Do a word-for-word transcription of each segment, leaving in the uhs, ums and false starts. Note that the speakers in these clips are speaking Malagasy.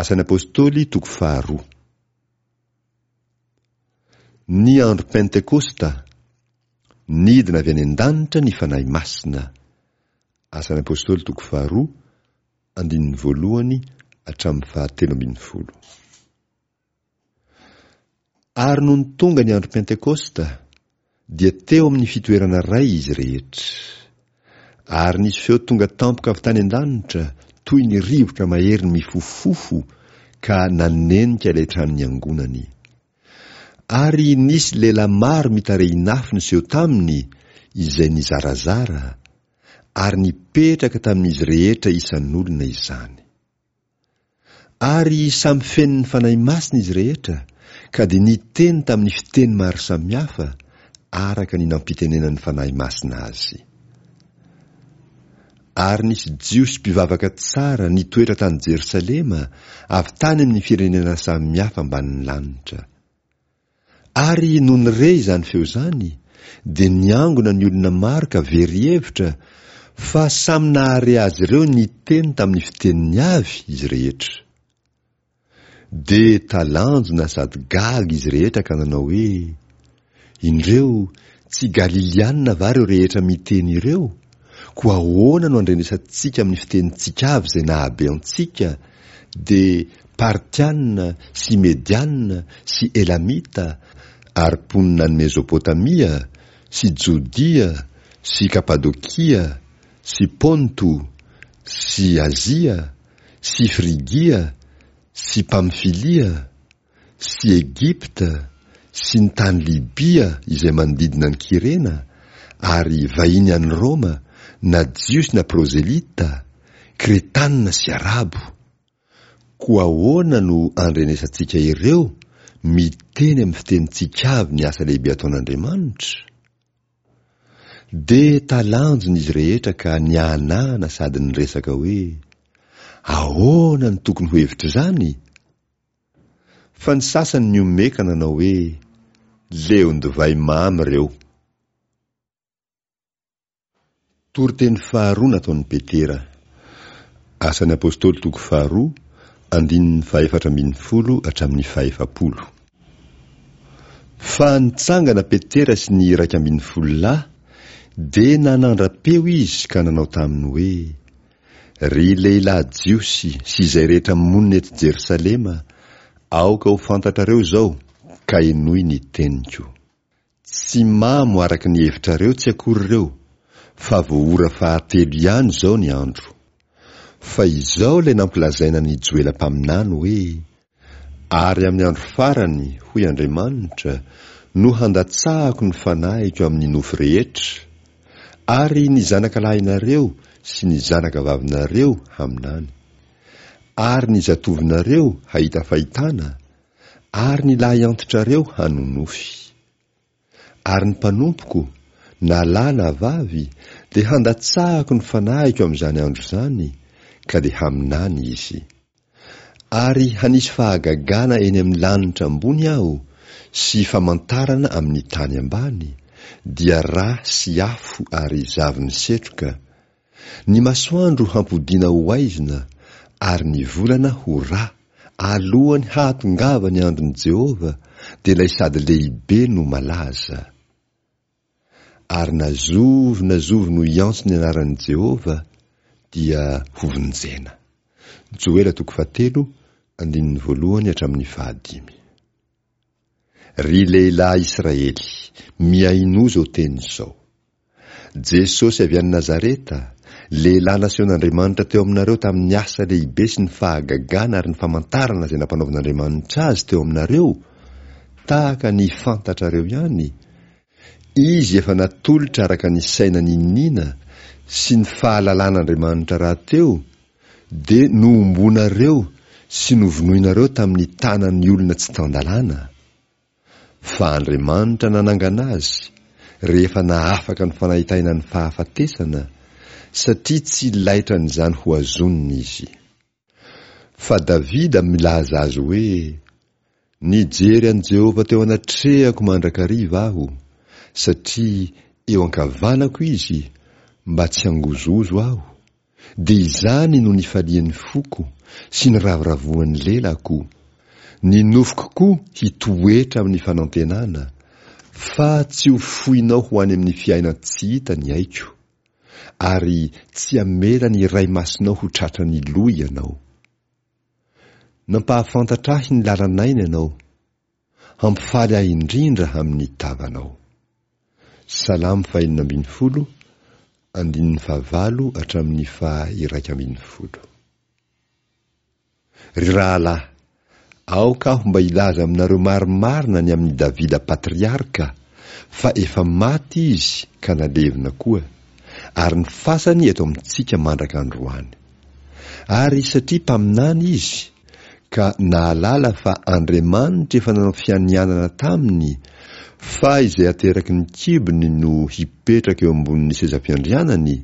Asan'ny Apostoly toko faharoa. Ny andro Pentekosta, nidina avy any an-danitra ny Fanahy Masina. Asan'ny Apostoly toko faharoa, andininy voalohany hatramin'ny fahatelo ambin'ny folo. Ary nony tonga ny andro Pentekosta, dia teo amin'ny fitoerana iray izy rehetra. Ary nisy feo tonga tampoka avy tany an-danitra, toy ny rivotra mahery mifofofofo, ka nanenika ilay trano niangonany. Ary nisy lehilahy maro mitarehin'afo niseho taminy, izay nizarazara, ary nipetraka tamin'izy rehetra isan'olona izany. Ary samy feno ny Fanahy Masina izy rehetra, ka dia niteny tamin'ny fiteny maro samihafa, araka ny nampitenenan'ny Fanahy Masina azy. Ary nisy Jiosy mpivavaka tsara nitoetra tany Jerosalema, avy tany amin'ny firenena samihafa ambanin'ny lanitra. Ary nony re izany feo izany, dia niangona ny olona maro ka very hevitra, fa samy nahare azy ireo niteny tamin'ny fiteniny avy izy rehetra. Dia talanjona sady gaga izy rehetra ka nanao hoe, Indreo, tsy Galilianina va ireo rehetra miteny ireo? Koa ahoana no andrenesantsika amin'ny fitenintsika avy izay nahabe antsika, dia Partianina sy Medianina sy Elamita ary mponina any Mezopotamia sy Jodia sy Kapadokia sy Ponto sy Azia sy Frigia sy Pamfilia sy Egypta sy ny tany Libia izay manodidina an'i Kyrena, ary vahiny any Roma, na Jiosy na prozelita, Kretanina sy Arabo. Koa ahoana no andrenesantsika ireo miteny amin'ny fitenintsika avy ny asa lehibe ataon'Andriamanitra? Dia talanjona izy rehetra ka niahanahana sady niresaka hoe, Ahoana no tokony ho hevitr'izany? Fa ny sasany nihomehy ka nanao hoe, Leon-divay mamy ireo. Toriteny faharoa nataon'i Petera. Asan'ny Apostoly toko faharoa, andininy fahefatra ambin'ny folo hatramin'ny fahefapolo. Fa nitsangana Petera sy ny iraika ambin'ny folo lahy, dia nanandra-peo izy ka nanao taminy hoe, Ry lehilahy Jiosy sy izay rehetra monina eto Jerosalema, aoka ho fantatrareo izao, ka henoy ny teniko. Tsy mamo araka ny hevitrareo tsy akory ireo, fa vao ora fahatelo ihany izao ny andro. Fa izao ilay nampilazaina an'i Joela mpaminany hoe, Ary amin'ny andro farany, hoy Andriamanitra, no handatsahako ny fanahiko amin'ny nofo rehetra, ary ny zanakalahinareo sy ny zanakavavinareo haminany, ary ny zatovonareo hahita fahitana, ary ny lahiantitrareo hanonofy. Ary ny mpanompoko, na lahy na vavy, dia handatsahako ny fanahiko amin'izany andro izany, ka dia haminany izy. Ary hanisy fahagagana eny amin'ny lanitra ambony Aho, sy famantarana amin'ny tany ambany, dia rà sy afo ary zavon'ny setroka. Ny masoandro hampodiana ho aizina, ary ny volana ho rà, alohan'ny hahatongavan'ny andron'i Jehovah, dia ilay sady lehibe no malaza. Ary na zovy na zovy no hiantso ny anaran'i Jehovah, dia hovonjena. Joela toko fahatelo, andininy voalohany hatramin'ny fahadimy. Ry lehilahy Israely, mihainoa izao teny izao. Jesosy avy any Nazareta, lehilahy nasehon'Andriamanitra teo aminareo tamin'ny asa lehibe sy ny fahagagana ary ny famantarana izay nampanaovin'Andriamanitra azy teo aminareo, tahaka ny fantatrareo ihany, izy efa natolotra araka ny saina niniana sy ny fahalalan'Andriamanitra rahateo, dia nohomboanareo sy novonoinareo tamin'ny tanan'ny olona tsy tan-dalàna. Fa Andriamanitra nanangana azy, rehefa nahafaka ny fanahitainan'ny fahafatesana, satria tsy laitran'izany hohazonina izy. Fa Davida milaza azy hoe, Nijery an'i Jehovah teo anatrehako mandrakariva aho, satria eo ankavanako izy, mba tsy hangozohozo aho, Dia izany no nifalian'ny foko sy niravoravoan'ny lelako, ny nofoko koa hitoetra amin'ny fanantenana, fa tsy ho foinao ho any amin'ny fiainan-tsy hita ny aiko, ary tsy hamela ny Iray Masinao ho tratran'ny loha ianao. Nampahafantatra ahy ny lalan'aina ianao, hampifaly ahy indrindra amin'ny tavanao. Salamo fahenina ambin'ny folo, andininy fahavalo hatramin'ny faha-iraika ambin'ny folo. Ry rahalahy, aoka aho mba hilaza aminareo marimarina ny amin'i Davida patriarka, fa efa maty izy ka nalevina koa, ary ny fasany eto amintsika mandraka androany. Ary satria mpaminany izy, ka nahalala fa Andriamanitra efa nanao fianianana taminy fa izay ateraky ny kibony no hipetraka eo ambonin'ny seza fiandrianany,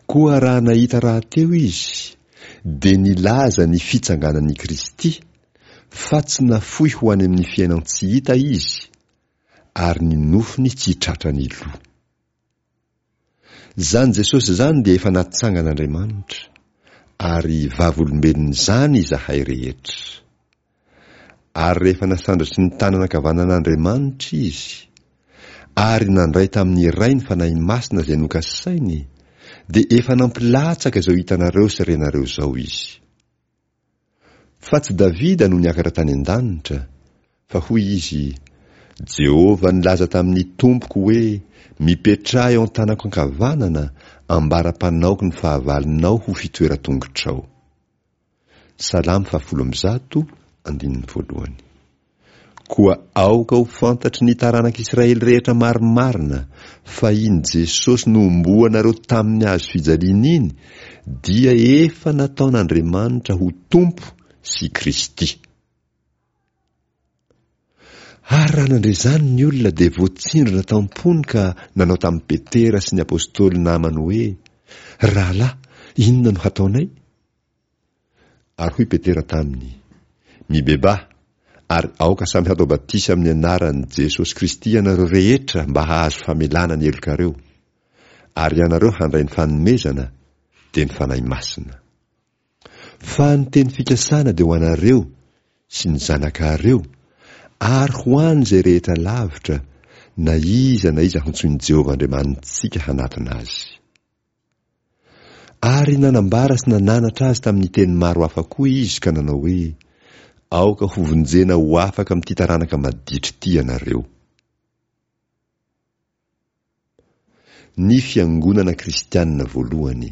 koa raha nahita rahateo izy, dia nilaza ny fitsanganan'i Kristy, fa tsy nafoy ho any amin'ny fiainan-tsy hita izy, ary ny nofony tsy tratran'ny lo. Izany Jesosy izany dia efa natsangan'Andriamanitra, ary vavolombelon'izany izahay rehetra. Ary rehefa nasandratry ny tanana ankavanan'Andriamanitra izy, ary nandray tamin'ny Ray ny Fanahy Masina izay nokasainy, dia efa nampilatsaka izao hitanareo sy renareo izao izy. Fa tsy Davida no niakatra tany an-danitra, fa hoy izy, Jehovah nilaza tamin'ny Tompoko hoe, Mipetraha eo an-tanako ankavanana, ambara-panaoko ny fahavalonao ho fitoeran-tongotrao. Salamo fahafolo amby zato, andininy voalohany. Koa aoka ho fantatry ny taranak'Israely rehetra marimarina fa iny Jesosy nohomboanareo tamin'ny hazo fijaliana iny dia efa nataon'Andriamanitra ho Tompo sy Kristy. Ary raha nandre izany ny olona dia voatsindrona tam-pony ka nanao tamin'i Petera sy ny apostoly namany hoe, Rahalahy, inona no hataonay? Ary hoy Petera taminy, Mibebaha, ary aoka samy hatao batisa amin'ny anaran'i Jesosy Kristy ianareo rehetra mba hahazo famelana ny helokareo, ary ianareo handray ny fanomezana, dia ny Fanahy Masina. Fa ny teny fikasana dia ho anareo sy ny zanakareo, ary ho an'izay rehetra lavitra, na iza na iza hantsoin'i Jehovah Andriamanitsika hanatona azy. Ary nanambara sy nananatra azy tamin'ny teny maro hafa koa izy ka nanao hoe, Aoka hovonjena ho afaka amin'ity taranaka maditra ity ianareo. Ny Fiangonana Kristianina voalohany.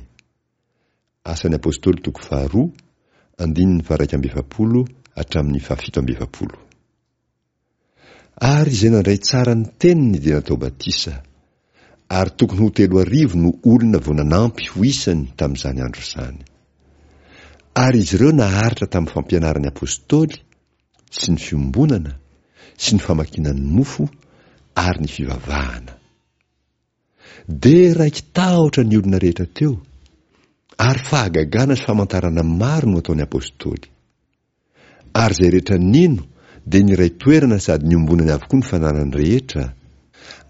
Asan'ny Apostoly toko faharoa, andininy faha-iraika amby efapolo hatramin'ny fahafito amby efapolo. Ary izay nandray tsara ny teniny dia natao batisa, ary tokony ho telo arivo no olona vao nanampy ho isany tamin'izany andro izany. Ary izy ireo naharitra tamin'ny fampianaran'ny apostoly sy ny fiombonana sy ny famakiana ny mofo ary ny fivavahana. Dia raiki-tahotra ny olona rehetra teo, ary fahagagana sy famantarana maro no ataon'ny apostoly. Ary izay rehetra nino dia niray toerana sady niombonany avokoa ny fananany rehetra,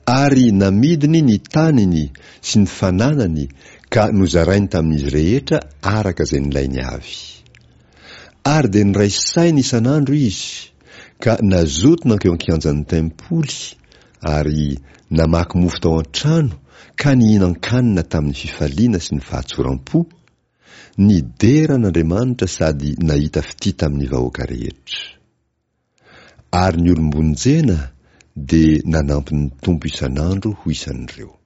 ary namidiny ny taniny sy ny fananany ka nozarainy tamin'izy rehetra araka izay nilainy avy. Ary dia niray saina isan'andro izy, ka nazoto nankeo an-kianjan'ny tempoly, ary namaky mofo tao an-trano ka nihinan-kanina tamin'ny fifaliana sy ny fahatsoram-po, nidera an'Andriamanitra sady nahita fitia tamin'ny vahoaka rehetra. Ary ny olom-bonjena dia nanampy ny Tompo isan'andro ho isan'ireo.